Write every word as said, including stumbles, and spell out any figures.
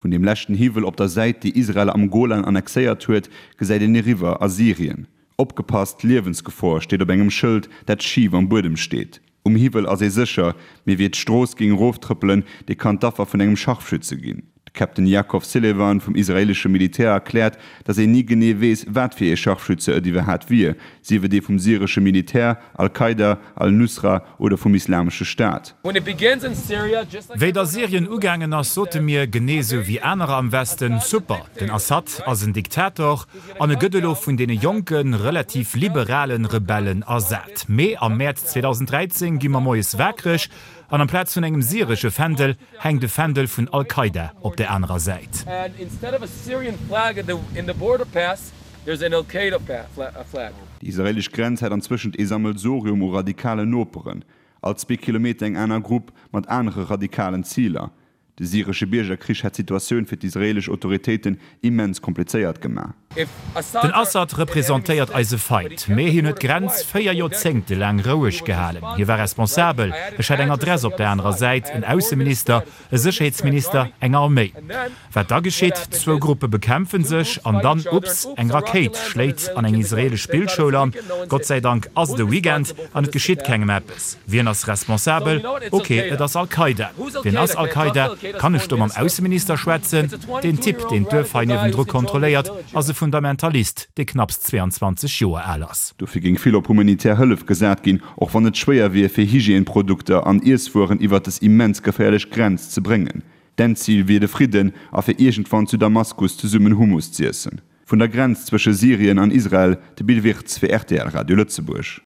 Vun deem leschten Hiwwel op der Säit, déi Israel am Golan annexéiert huet, gesäit een eriwwer a Syrien. Opgepasst, Liewensgefor steet op engem Schëld, dat schif am Buedem steet. Um Hiwwel ass ee sécher, mee wie d'Strooss géing eroftrëppelen, dee kann d'Affer vun engem Scharfschütze ginn. De Captain Yakov Silevan vum israeelesche Militär erkläert, datt een ni genee weess, wat fir ee Scharfschütze et iwwerhaat wier, sief et ee vum syresche Militär, Al-Qaida, Al-Nusra oder vum Islamesche Staat. Wéi et a Syrien ugaangen ass, sote mir, genee esou wéi anerer am Westen, Super, den Assad ass en Diktator an e gëtt elo vun deene jonken, relativ liberalen Rebellen ersat. Mee am Mäerz zweedausenddräizéng gi mer moies waakreg an amplaz vun engem syresche Fändel hänkt e Fändel vun Al-Qaida op der anerer Säit. Déi israeelesch Grenz hätt anzwëschent ee Sammelsorium u radikalen Noperen. All zwee Kilometer eng aner Grupp mat anere radikalen Ziler. De syresche Biergerkrich hätt d'Situatioun fir d'israeelesch Autoritéiten immens komplizéiert gemaach. Den Assad representéiert eise Feind, mee hien huet d'Grenz véier Joerzéngte laang roueg gehalen. Hie war responsabel. Ech hat eng Adress op der anerer Säit, en Ausseminister, e Sécherheetsminister, eng Arméi. Wat da geschitt? Zwou Gruppe bekämpfe sech an dann, ups, eng Rakéit schléit an eng israeelesch Spillschoul an. Gott sei Dank ass et e Weekend an et geschitt kengem eppes. Wien ass responsabel? Ok, et ass Al-Qaida. Wien ass Al-Qaida? Kann ech do mam Ausseminister schwätzen? Deen Typ, deen d'Duerf hei niewendru kontrolléiert, ass e Fundamentalist, dee knapps zweeanzwanzeg Joer al ass. Dofir géing vill op humanitär Hëllef gesat ginn, och wann et schwéier wier, fir Hygièneprodukter an Iesswueren iwwert des immens geféierlech Grenz ze bréngen. D'Endzil wier de Fridden a fir iergendwann zu Damaskus zesummen Hummus z'iessen. Vun der Grenz zwësche Syrien an Israel, de Bill Wirtz fir rtl Radio Lëtzebuerg.